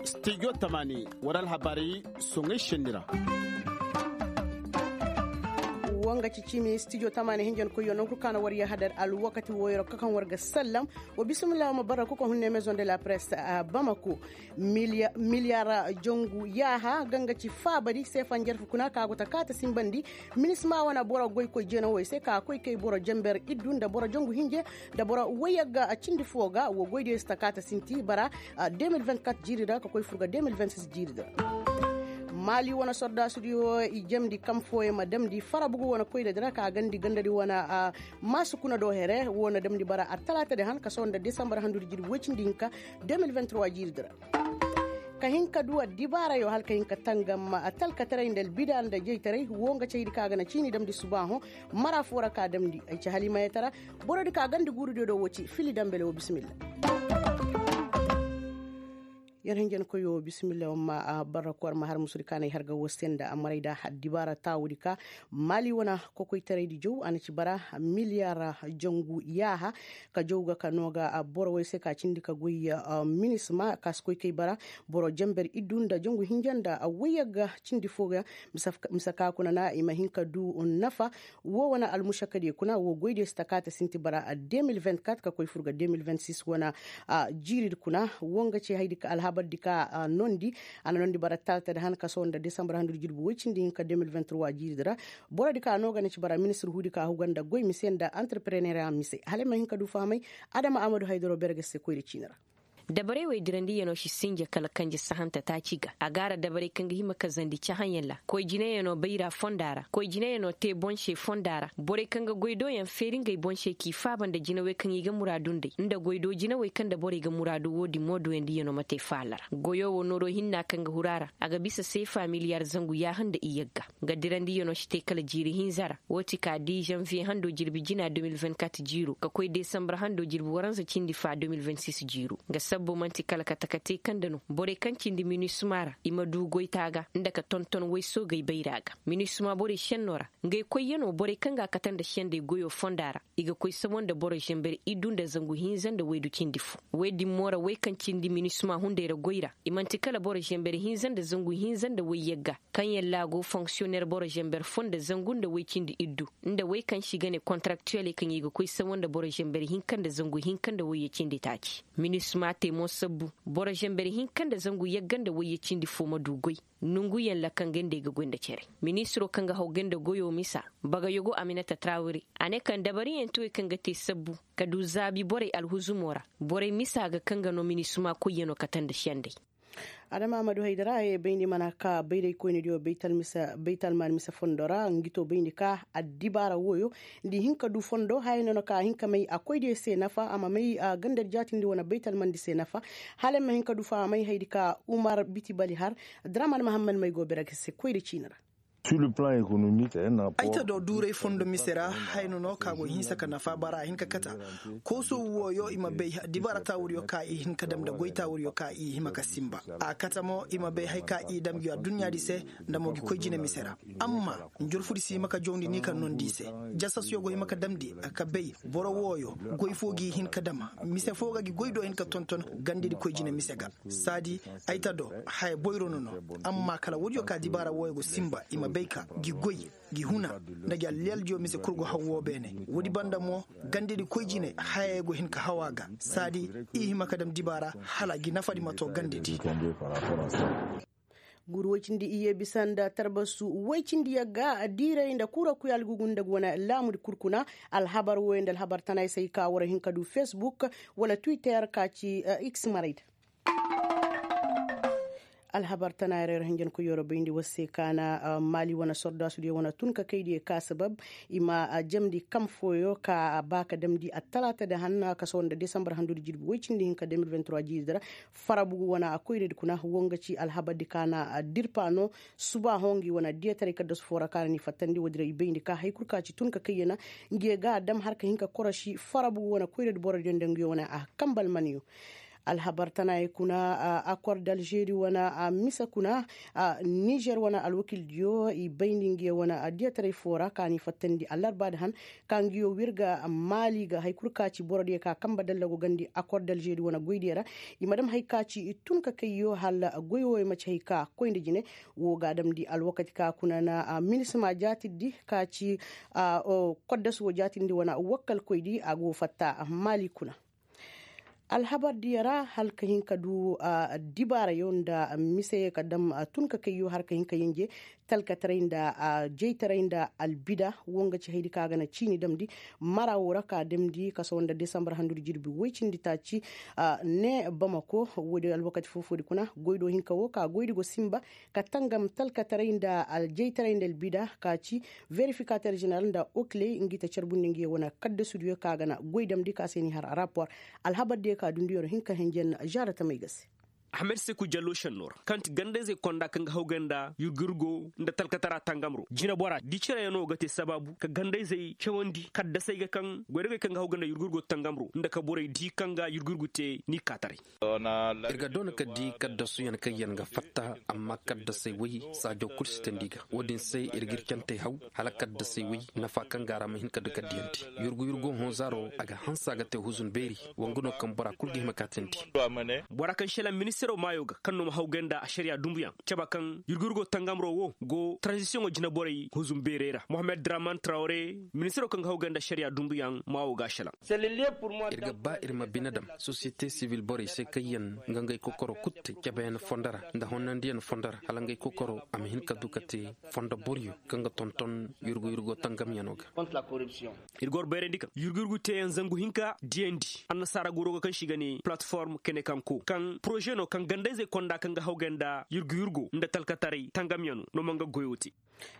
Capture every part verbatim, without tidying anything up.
Studio tamaani war alhabaari soŋay šenni ra. Woo nga ci ciimi studio tamaani hinjankoyyo non kul kaŋ a na war yahadar alwakati wooyoo ra ka kaŋ war ga sallam. Wa bismillah wa ma bara kuka hunne maison de la presse a bamako. Miliyar jangu yaaha ga nga ci faabari seefa njarfu kuna ka go ta kaata simbandi. Minisma wane boro goykoy jeenawey se ka koy kay boro jenber iddu nda boro jangu hinje nda boro woyagga cindi foo ga wo goydiyo si ta kaata sinti bara. De mil vingt-quatre jiiri ra ka koy fur ga de mil vingt-six jiiri ra. Maali wane sordaasudiyo i jamndi kam fooyaŋ ma damndi farabugu wane koyradi ra ka gandi gandadi wane. Maasu kuna do here wo na damndi bara attalaatadi han ka sohõ nda desambar handudi jirbi woy cindi hinka de mil vingt-trois jiiridi ra. Ka hin ka du addibaarayo hala ka hin ka tangam talkataray nda albida nda jaytaray wo nga caydi ka ga na ciini damndi subaahoŋ. Mara foo ra ka damndi ay ci halimayatara. Borodi ka gandi guurudiyo do wo ci fili dambele wo bisimilla. Yer hinjankoyo bisimilla wamma barra ko war ma har musudi kaanay har ga woo se nda amaray da addibaara taawudi ka maali wane kokoytaraydi jaw a na ci bara miliyar jangu yaaha. Ka jaw ga ka noo ga borowey se ka cindi ka goy minisma ka si koy kay bara boro jenber iddu nda jangu hinja nda woyagga cindi foo ga. Mise ka kuna na i ma hin ka du nafa. Woo wane almušakadiyo kuna woo goydiyo si ta kaata sinti bara de mil vingt-quatre ka koy fur ga de mil vingt-six wane. Jiiridi kuna woo nga ci haydi ka alhabardi ka noondi. A na noondi bara taltadi han ka sohõ nda desambar handudi jirbi woy cindi hinka de mil vingt-trois jiiridi ra. Borodi ka noo ga na ci bara ministir huudi ka huga nda goy mise nda antarpereneera mise hala ay ma hin ka du fahamay. Adama amadu haydaro bere ga se koyra ciini ra. Dabarey wey dirandiyanoo si sinja kala kanje sahanta taaci ga a gaara dabarey kaŋ ga hima kazandi cahayaŋ ra koy jinayanoo bayra fonda ra koy jinayanoo te boŋ se fonda ra borey kaŋ ga goy dooyaŋ feeri ngey boŋ se k'i faaba nda jinawey kaŋ i ga muraadu nd'ey nda goy doo jinawey kaŋ nda borey ga muraadu woodin mo dooyandiyanoo ma te faala ra goyo wo nooroo hinna kaŋ ga huru a ra. A ga bisa seefa miliyar zangu yaaha nda iyagga. Nga dirandiyanoo si te kala jiiri hinza ra. Woo ti ka di zanviye handoo jirbi jina de mil vingt-quatre jiiroo ka koy desambar handoo jirbi waranza cindi fa de mil vingt-six jiiroo nga sabbo man'ti kala kate-kate kaŋ nda no borey kaŋ cindi minisma ra i ma du goytaa ga nda ka tonton woy soogey bayraa ga. Minisma borey šennoo ra ngey koyyanoo borey kaŋ ga a kate nda sendey goyoo fondaa ra. I ga koy sawa nda boro zenber iddu nda zangu hinza nda waydu cindi fo. Woy din mo ra woy kaŋ cindi minisma hunday ra goy ra i man'ti kala boro zenber hinza nda zangu hinza nda woy yagga. Kaŋ yalla a go fonksiyoner boro zenber fo nda zangu nda woy cindi iddu nda woy kaŋ se i ga ne kontaraktuweley kaŋ i ga koy sawa nda boro zenber hinka nda zangu hinka nda woyye cindi taaci. Minisma te mo sabbu boro zenber hinka nda zangu yagga nda woyye cindi fo ma du goy. Nonguyaŋ ra kaŋ ga nda ay ga goy nda cere. Ministiroo kaŋ ga haw ganda goyoo misa, bagayogo aminata tarawre, a ne kaŋ dabariyaŋ ti wey kaŋ ga te sabbu ka du zaabi borey alhuzumoo ra. Borey misa ga kaŋ ga no minisima koyyanoo kate nda sendey. Adama amadu haydara haya bayndi mana ka bayraykoynidiyo baytalmaan mise fondo ra ngi to bayndi ka addibaara wooyo, nda i hin ka du fondo haya no na ka a hin ka may a koydiyo se nafa a ma may gandadi jaatindi wane baytalmandi se nafa. Hala ay ma hin ka du fahamay hayadi ka umar biti bali har. Draman mahammad may go bere ga se koyri ciini ra. Ay ta do duuray fondo mise ra. Haya no no ka go hinsa ka nafa bara a hin ka kata. Kooso wooyo i ma bay dibaara taawuriyo ka i hin ka dam nda goy taawuriyo ka i hima ka sinba. A kata mo i ma bay haya ka i dam gi adduɲɲaadi se, nda mo gi koy jine mise ra. Amma njorfudi si hima ka jawndi ni ka nondi i se. Jasasyo go hima ka damndi ka bay boro wooyo, goy foo g'i hin ka dam mise foo ga gi goy do hin ka tonton gandedi koy jine mise ga. Saadi ay ta do haya boyro no no. Amma kala woodiyo ka dibaara wooyo go sinba i ma bay ka gi goy, gi huna, nda gi alliyaldiyo mise kul go haw woo beene. Woodi banda mo gandedi koy jine hayey go hin ka haw a ga. Saadi i hima ka dam dibaara hala gi nafadi ma to gandedi. Guuru woy cindi iyye bisa nda tarbasu woy cindi yagga diiray nda kuura kuy algugu nda ga wane laamudi kul kuna. Alhabar wooyo nda alhabar tanaay se ay ka war hin ka du facebook, wala twitter ka ci x marayda. Alhabar tanaay ra yer hinjankoyyo ra bayndi war se ka na maali wane sordaasudiyo wane tun ka kaydiyo ka sabab i ma jamndi kam fooyo ka ba ka damndi attalaata da hanna ka sohõ nda desambar handudi jirbi woy cindi hinka de mil vingt-trois jiiridi ra. Farabugu wane koyradi kuna wo nga ci alhabardi ka na dirpa no. Subaaho ngi wane diyataray kaddasu foo ra ka na ni fattandi woodi ra i bayndi ka hari kul ka ci tun ka kayyaŋ. Ngi ye ga a dam har ka hin ka korosi farabugu wane koyradi borodiyo nda ngi yo wane a kambal maniyo. Alhabar tanaayey kuna, akor d'alžeri wane mise kuna, nizer wane alwakildiyo i bayndi nga ye wane diyataray foo ra ka n'i fattandi allarbaadi han, ka nga yo w'ir ga maali ga hari kul ka ci borodiyo ka kambe dalla go gandi akor d'alžeri wane goydiyo ra. I ma dam hari ka ci tun ka kayyo hala goy wooyo ma ci hari ka koy nda jine. Woo ga a damndi alwakati ka kuna na minisima jaatirdi ka ci koddas woo jaatirdi wane wakkalkoydi a go fatta maali kuna. Alhabardiyo ra hala ka hin ka du dibaarayo nda mise ka dam tun ka kayyo hala ka hin ka yanje talkataray nda jaytaray nda albida woo nga ci haydi ka ga na ciini damndi mara woo ra ka damndi kasaw nda desambar handudi jirbi woy cindi taaci. Ne bamako woodi alwakati foo-foodi kuna goydo hinka woo ka goydi go sinba ka tangam talkataray nda aljaytaray nda albida ka ci verifikater jeneral nda okiley ngi ta carbundi ngi ye wane kaddasudiyo ka ga na goy damndi ka se n'i har rapor. Alhabardiyo ka dunduyo ra hinka henjen žaara tamey ga se. Ahmed seku jallo šenno ra kaŋ ti gandayzey konda kaŋ ga hawgay nda yurgu-yurgo nda talkatara tangamro jineboraa di cereyaŋo ga te sabaabu ka gandayzey cawandi kaddasey ga kaŋ goydogey kaŋ ga hawgay nda yurgu-yurgo tangamro nda ka borey di kaŋ ga yurgu-yurgu te n'i kaataray. Ir ga doona ka di kaddasuyaŋ kaŋyaŋ ga fatta amma kaddasey woy saajo kul si teendi ga woodin se ir g'ir cantey haw hala kaddasey woy nafa kaŋ ga a ra ma hin ka du ka diyandi. Yurgu-yurgo honzaaro a ga hanse a ga te huzun beeri. Wanga no kaŋ bora kul ga hima ka teendi. Bora kaŋ šelaŋ ministiro maayo ga kaŋ no ma hawgay nda ašariya dumbuyaŋ caba kaŋ yurgu-yurgo tangamro wo go taranzisiyoŋo jinaborey huzun beerey ra mohammed draman trawre ministiro kaŋ ga hawgay nda ašariya dumbuyaŋ maawo ga a šelaŋ. Ir ga ba ir ma bine dam sosiyete sibil borey se kaŋyaŋ ga ngey kokoro kul te cabeyaŋ fondo ra nda honnandiyaŋ fondo ra hala ngey kokoro a ma hin ka du ka te fondo boryo kaŋ ga tonton yurgu-yurgo tangamyaŋo ga. Ir ga war bayrandi kaŋ yurgu-yurgu teeyaŋ zangu hinka diyandi annasaara goro ga kaŋ se i ga ne palatform kene kaŋ ko kaŋ poroze no kaŋ gandayzey konda kaŋ ga hawgay nda yurgu-yurgo nda talkataray tangamyaŋo no ma nga goyo te.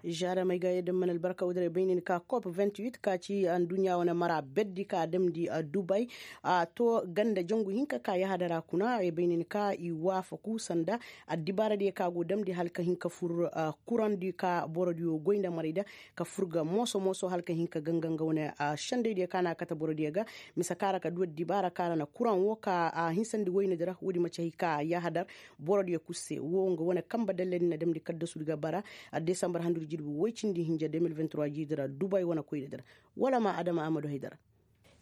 Žaadamey ga yadda mana albarka woo diray bay ni ka kop vingt-huit ka ci adduɲɲa wane mara berdi ka damndi dubay. A to ganda jangu hinka ka yahadara kuna ay bay ni ka i waafaku sanda addibaaradiyo ka go damndi hala ka hin ka fur kuraŋ di ka borodiyo goy nda maray da ka fur ga mooso mooso hala ka hin ka ganga nga wane sendaydiyo ka na a kate borodiyo ga. Mise ka ra ka du addibaara ka ra na kuraŋ wo ka a hinsandi wayne di ra woodi ma ci hay ka yahadar borodiyo kul se wo nga wane kambe dalladi na damndi kaddasudi ga bara. Desambar handudi jirbi woy cindi hinja deux mille vingt-trois jiidi ra dubay wane koynadi ra. Wala ma adama amadu haydara.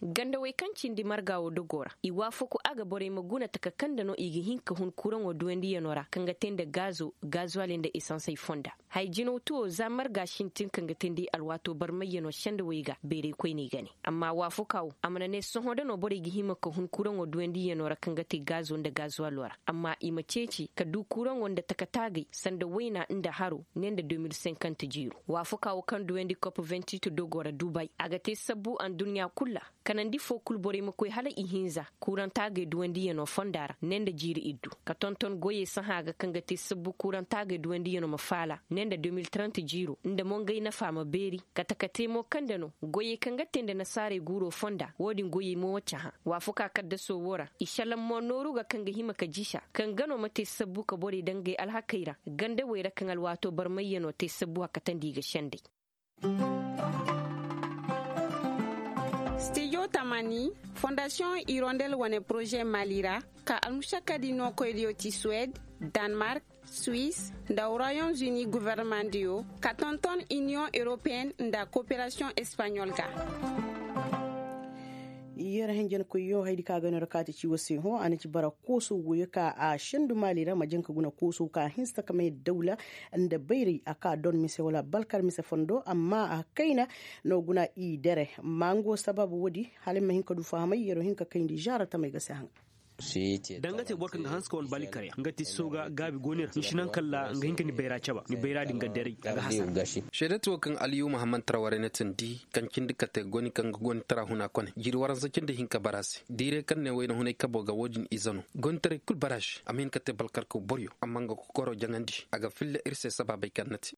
Gandawey kaŋ cindi marga wo dogo ra i waafaku a ga borey ma guna taka kaŋ nda no i ga hin ka hun kuraŋo duwandiyanoo ra kaŋ ga te nda gaazo gaazuwaley nda esansey fonda. Haya jinaw tuwo za marga sintin kaŋ ga teendi alwaatoo barmayyanoo sendawey ga beeraykoyney ga ne. Amma waafakaa wo a mana ne sohõ da no borey ga hima ka hun kuraŋo duwandiyanoo ra kaŋ ga te gaazo nda gaazuwaloo ra amma i ma ceeci ka du kuraŋo nda taka taagay sanda wayna nda haro ne nda deux mille cinquante jiiro. Waafakaa wo kaŋ duwandi kop vingt-huit dogo ra dubay a ga te sabbu adduɲɲa kul ra. Kanandi foo kul borey ma koy hala ihinza kurantaagey duwandiyanoo fonda ra ne nda jiiri iddu ka tonton goyey sahã ga kaŋ ga te sabbu kurantaagey duwandiyanoo ma faala ne nda deux mille trente jiiro nda mo ngey nafa ma beeri. Kate ka te mo kaŋ nda no goyey kaŋ ga te nda nasaarey guuroo fonda woo din goyey mo wa cahã. Waafakaa kaddasoo woo ra i šelaŋ mo nooru ga kaŋ ga hima ka jisa kaŋ ga no ma te sabbu ka borey daŋ ngey alhakey ra gandawey ra kaŋ alwaatoo barmayyanoo te sabbu a katandi i ga senday. Stijo tamani fondasiyoŋ irondel wane poroze mali ra ka almušakkadi nookoydiyo ti suwed, danmark, suwis, nda royom zuni governemandiyo ka tonton iniyoŋ europeyen nda koperasiyoŋ espaɲol ga. Yer henjenkoyyo haydi ka ga no ra kaati ci wo se hõ a na ci bara kooso woyo ka a sendu maali ra ma jaŋ ka guna kooso ka hinsa ka may dawla nda bayray a ka don mise wala balkar mise fondo amma a kayna no guna i dere. Ma ngo sababu woodi hala ay ma hin ka du fahamay yero hin ka kayndi zaara tamay ga se haŋ. Danga te boro kaŋ ga hanse ka wane baali karya nga ti sooga gaabi go ni ra ni si naŋ kalla nga hin ka ni bayra caba ni bayra din ga deray a ga hasara. Seedati wo kaŋ aliyu mahammad tara warey na tindi kaŋ cindi kate goni kaŋ ga goni tara huna kone jiiri waransa cindi hinka bara se diiray kaŋ ne wayna hunay kabo ga wo-din ize no. Gonitaray kul bara se a ma hin ka te balkarkaw boryo amma nga kokoro jaŋandi a ga filla ir se sabaabey kaŋ na te.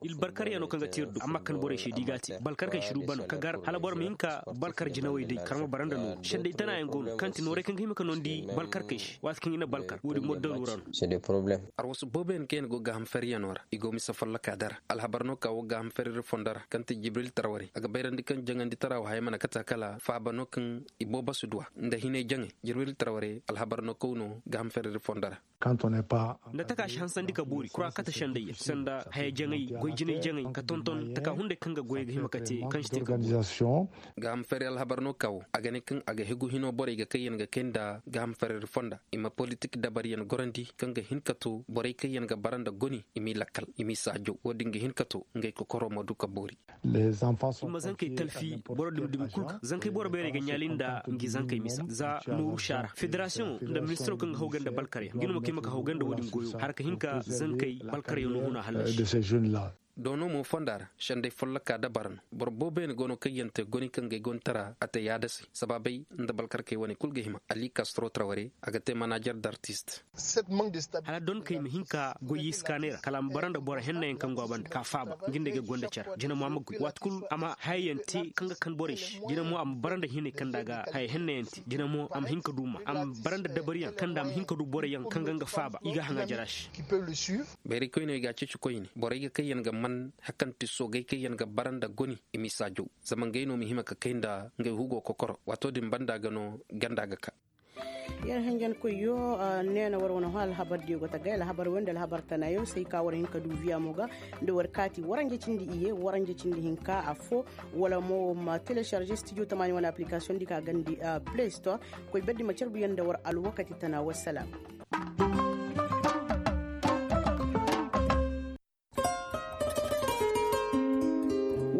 Ilbarkaryaŋo kaŋ ga te ir do amma kaŋ borey se da i ga a te balkarkey si du bano ka gar hala boro ma hin ka balkar jinawey day karma bara nda nooru senday tanayaŋ go no kaŋ ti nooray kaŋ ga hima ka no. Di balkarkey se waati kaŋ i na balkar woodin mo daru ra no. Arwasu booboyaŋ kaŋ yaŋ go gaaham feryanoo ra i go mise follokaa dara alhabar no ka woo gaaham feriri fondo ra kaŋ ti jibril tarware a ga bayrandi kaŋ jaŋanditaraa wo haya mana kate a kala faaba no kaŋ i boobo si duw'a nda hinay jaŋay jibril tarware alhabar no kaw no gaaham feriri fondo ra. Nda taka si hansandi ka boori kura kate sendayyaŋ sanda haya jaŋay goy jinay jaŋay ka tonton taka hunday kaŋ ga goyey ga hima ka te kaŋ si te ka boori. Gaaham fari alhabar no ka wo a ga ne kaŋ a ga hegu hino borey ga kayyaŋ ga kay nda gaaham fari fonda i ma politik dabaryaŋ gorandi kaŋ ga hin ka to borey kayyaŋ ga bara nda goni i m'i lakkal i m'i saajo wo-din ga hin ka to ngey kokoro ma du ka boori. I ma zankey talfi boro dumi dumi kul ga zankey boro beerey ga ɲaali nda ngi zankey misa za nooru saara federasiyoŋo nda ministiro kaŋ ga hawgay nda balkaryaŋ ngi no ma kay ma ka hawgay nda wo-din goyo har ka hin ka zankey balkaryaŋo huna hallasi. Doono mo fonda ra sendey folloka dabara no boro booboyaŋ go no kaŋ yaŋ te goni kaŋ ga ay gonitara a te yaada se sabaabey nda balkarkey wane kul ga hima ali kastro traware a ga te manajer d'artist. Hala donkey ma hin ka goy iskaaney ra kala a ma bara nda boro hennayaŋ kaŋ go a banda ka faaba nga nda ay ga gonda care jina mo a ma goy waati kul a ma hayayaŋ te kaŋ ga kan borey se jina mo a ma bara nda hinay kaŋ nda a ga haya hennayaŋ te jina mo a ma hin ka du ma a ma bara nda dabariyaŋ kaŋ nda a ma hin ka du boroyaŋ kaŋ ga nga faaba i ga haŋa jara se. Bayrikoyney ga a ceeci koyne borey ga kayyaŋ ga man hakanti soogay kayyaŋ ga bara nda goni i m'i saajaw zama ngey no ma hima ka kay nda ngey hugo kokoro waato din banda ga no ganda ga ka. Yer henjenkoyyo, neena war wane hõ alhabardiyo go ta gay alhabar wey nda alhabar tanayo se ay ka war hin ka du viya mo ga nda war kaati waranje cindi iye waranje cindi hinka affo wala mo ma telecharge studio tamaani wane application di ka gandi play store. Koy berdi ma carbu yer nda war alwakati tana wassalam.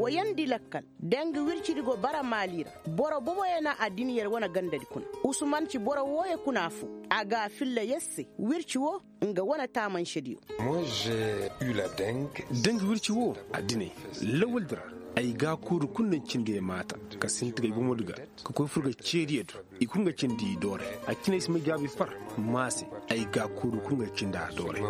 Woyandi lakkal dangi wircidi go bara maali ra. Boro boboyaŋ na addiniyar wane gandadi kuna. Usman ci boro wooyo kuna fo a ga a filla yer se wirci wo nga wane taamansediyo. Dangi wirci wo addiney lawaldi ra ay gaakuuru kul na cindi ay maata ka sinti ga ay bomodi ga ka koy fur ga ceediyo do. I kul nga cindi i dooray a cinay si ma jaabi far maase. Ay gaakuuru kul nga cindi a dooray.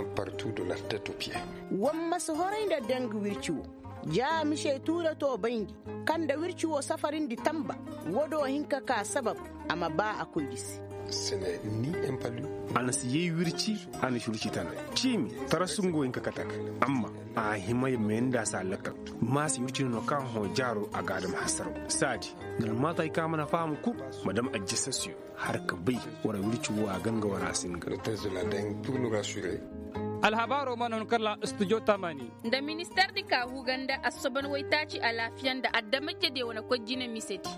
War ma si horay nda dangi wirci wo ja mise tuure to bayndi kaŋ nda wirci wo safarindi tamba. Wo do hin ka ka sabab a ma ba a koydi se. A na si yay wirci a na si wirci tana ciimi tarasu nga wo hin ka kate a ga amma a hima ya meeni nda a si a lakkal. Maasi wirci no no kaŋ hõ jaaro a ga a dam hasaraw saadi. Nga almaatay kaŋ a mana faham kul ma dam ajjasasiyo har ka bay wara wirci wo a ganga wara a si nga. Alhabaaro mana hun kalla studio tamani. Nda ministar di ka huga nda assoban waytaaci alaafiya nda adamajediyo wane koy jine misedi.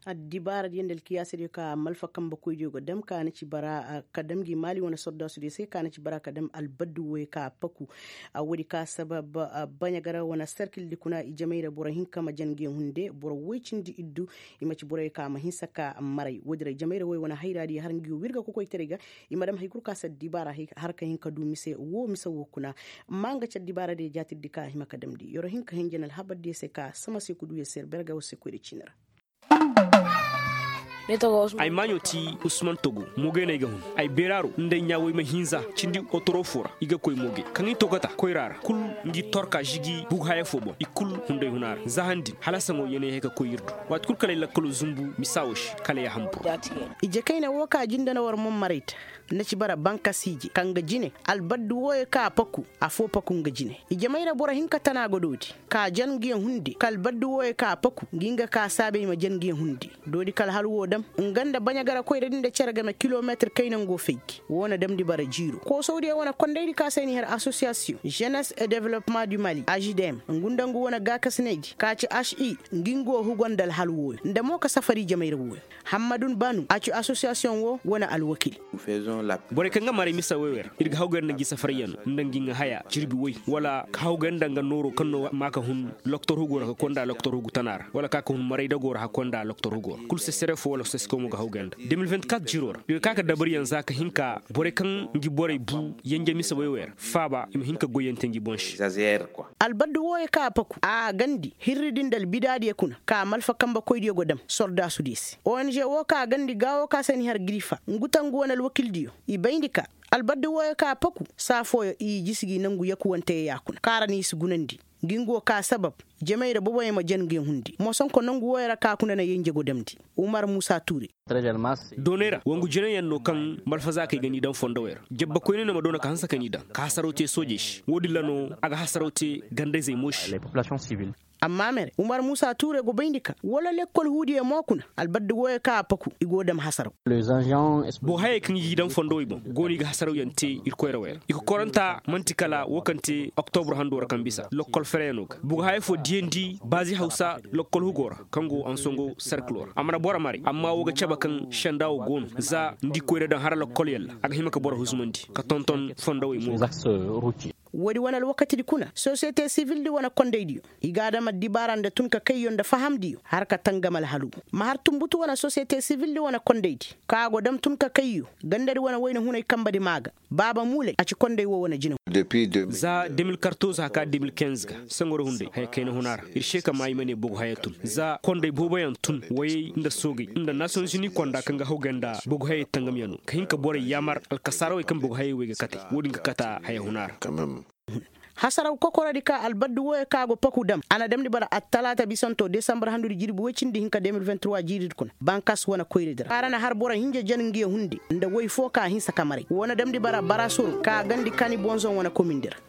Addibaara diyo nda alkiyaasa diyo ka malfa kambe koy diyo ga dam ka na ci bara ka dam gi maali wane sordasu diyo se ka na ci bara ka dam albaddu woy ka paku. Woodi ka sabab baɲa gara wane serkil di kuna i jamay ra boro hinka ma jan ngi hunde boro woy cindi iddu. I ma ci boroyo ka ma hinsa ka maray woodi ra i jamay ra woy wane hayra diyo har ngi wirga kokoytaray ga. I ma dam hay kul ka si addibaara har ka hin ka du mise wo mise wo kuna. Amma nga ci addibaara diyo jaatir di ka a hima ka damndi yer wo hin ka hin jan alhabar diyo se ka sama se ka du yer se yer berga wo se koy da ciini ra. Ay maaɲo ti usman togo moogey no ay ga hun. Ay beeraaro nda ay ɲaa woy ma hinza cindi otoro fo ra i ga koy mooge kaŋ i togota koyra ra kul ngi torka žigi bugu haya fo boŋ i kul hunday huna ra za han din hala saŋo yeenay hay ka koy ir do. Waati kul kala ay lakkalo zumbu misa wo se kala ay a hambur. Ije kayna wo ka jinde na war mo maray ta. Na ci bara bankasi ije kaŋ ga jine albaddu wooyo kaŋ a paku. Afo paku nga jine ije mayra boro hinka tana ga doodi ka jan ngiyaŋ hundi ka albaddu wooyo kaŋ a paku ngi nga ka saabe i ma jan ngiyaŋ hundi. Doodi ka alhal woo dam nga nda baɲagara koyra di nda cere game kilometir kayna nga go fay gi woo na damndi bara jiiro koosawdiyo wane kondaydi ka se ay na i har asosiyasiyoŋ jenes et developpement du mali ažidem ngu nda ngu wane gaakasinaydi ka ci aši ngi nga go hugo nda alhal wooyo nda mo ka safari jamayra wooyo. Hammadun banu a ci asosiyasiyoŋ wo wane alwakil. Borey kaŋ ga maray misa woy wer ir ga hawgay nda ngi safaryaŋ nda ngi ŋa haya jirbi woy wala ka hawgay nda nga nooro kaŋ no ma ka hun loktor hugo ra ka konda loktor hugu tana ra wala ka ka hun maray dago ra ka konda loktor hugo ra kulu sesere fo wala sesikomo ga hawgay nda de mil vingt-quatre jiro ra ir ga ka ka dabaryaŋ za ka hin ka borey kaŋ ngi borey bu yanje misa woy wer faaba i ma hin ka goyyaŋ te ngi boŋ se. Albaddu wooyo kaŋ a paku a gandi hirri din da albidaadiyo kuna ka malfa kambe koydiyo go dam sordaasudiyo se ong woo kaŋ a gandi gaawo kaŋ a se ni har girifa ngu tangu wane alwakildiyo i bayndi ka Albardi wooyo ka paku saa fooyo i jisi gi nangu yakuwante ya kuna kaŋ ra no i si gunandi. Ngi nga wo ka sabab jamey ra boboyaŋ ma jan nge hundi mosonko nangu wooyo ra ka kuna na yay njago damndi. Umar muusa tuure. Doonay ra wangu jinayaŋ no kaŋ malfazaakey ga n'i daŋ fondowey ra. Jabba koyne no ma doona ka hanse ka n'i daŋ ka hasaraw te soojey se wo-din ra no a ga hasaraw te ganda-izey mo se. Amma mere umar muusa tuure go bayndi ka wala lekkol huudiyo mo kuna albardi wooyo kaŋ a paku i go dam hasaraw. Boŋ hayey kaŋ i g'i daŋ fondowey boŋ go no i ga hasarawyaŋ te irkoy ra wey ra i kokoranta man'ti kala wo kaŋ te oktobur hando ra kaŋ bisa lokkol fereyaŋo ga boŋ haya fo diyandi baazi hawsa lokkol hugo ra kaŋ go ansongo serkilo ra a mana boro maray amma wo ga cabe kaŋ senda wo go no za nda i koyra daŋ hara lokkol yalla a ga hima ka boro husumandi ka tonton fondowey mo ga. Woodi wane alwakatidi kuna sosiyete sivildi wane kondaydiyo i ga a dam addibaara nda tun ka kayyo nda fahamdiyo har ka tangam alhalu. Ma har tunbutu wane sosiyete sivildi wane kondaydi kaŋ a go dam tun ka kayyo gandadi wane wayna hunay kambadi maa ga. Baaba muulay a ci konday wo wane jina. Za de mil kartoz haka de mil kinz ga sangoro hunday haya kayna huna ra ir se ka maa i ma ne bogu haya tun za konday booboyaŋ tun wayey nda soogey nda nasiyonzuni konda kaŋ ga hawgay nda bogu hayey tangamyaŋo ka hin ka borey yaamar alkasaarawey kaŋ bogu hayey wey ga katey wo-din ga kata haya huna ra. Hasaraw kokorodi ka albardi wooyo ka go paku dam a na damndi bara attalaata bisanto desambar handudi jirbi woy cindi hinka de mil vingt trois jiiridi kuna bankas wane koyridi ra kaŋ ra na har boro hinja jan ngiyo hundi nda woy fo ka hinsa ka maray woo na damndi bara barasoro ka gandi kani bonzoŋ wane komindi ra.